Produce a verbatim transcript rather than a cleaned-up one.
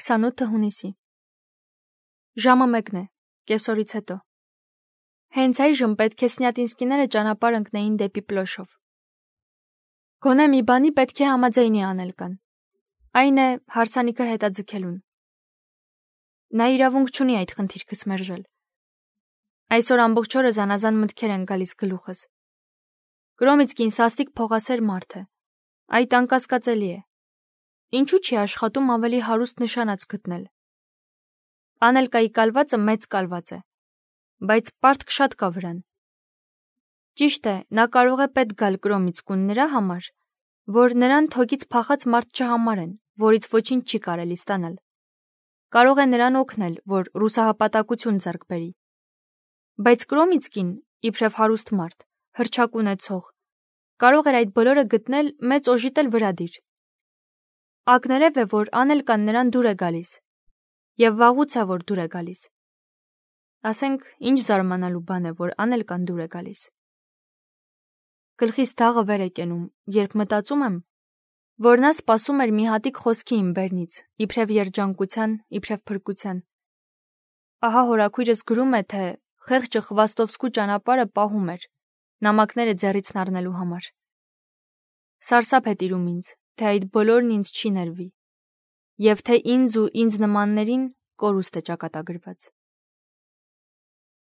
քսանութը հունիսի։ Ժամը մեկն է, կեսօրից հետո։ Հենց այժմ պետք է Սնյատինսկիները ճանապարհ ընկնեին դեպի Պլոշով։ Գոնե մի բանի պետք է համաձայնի անել կան։ Այն է հարսանիքը հետաձգելուն։ Նա իրավունք չունի այդ խնդիրքս մերժել։ Այսօր ամբողջ օրը զանազան մտքեր են գալիս գլուխս։ Կրոմիցկին սաստիկ փողասեր մարդ է։ Այդ անկասկածելի է։ Ինչու՞ չի աշխատում ավելի հարուստ նշանած գտնել։ Անելկայի կալվածը մեծ կալված է, բայց պարտք շատ կա վրան։ Ճիշտ է, նա կարող է պետք գալ Կրոմիցկուն նրա համար, որ նրան թոկից փախած մարդ չհամարեն, որից ոչինչ չի կարելի ստանալ։ Կարող է նրան օգնել, որ ռուսահապատակություն ձեռք բերի։ Բայց Կրոմիցկին, իբրև հարուստ մարդ, հռչակ ունեցող, կարող էր այդ բոլորը գտնել մեծ օժիտել վրադիր։ Ակներև է, որ Անելկան նրան դուր է գալիս, եւ վաղուց է, որ դուր է գալիս։ Ասենք, ինչ զարմանալու բան է, որ Անելկան դուր է գալիս։ Գլխիս դաղը վեր է կենում, երբ մտածում եմ, որ նա սպասում էր մի հատիկ խոսքի իմ բերնից, իբրև երջանկության, իբրև փրկության։ Ահա հորաքույրս գրում է, թե խեղճը Խվաստովսկու ճանապարհը պահում էր, նամակները ձեռիցն առնելու համար։ Սարսափ է տիրում ինձ, թե այդ բոլորն ինձ չի ներվի, եւ թե ինձ ու ինձ նմաններին կորուստ է ճակատագրված։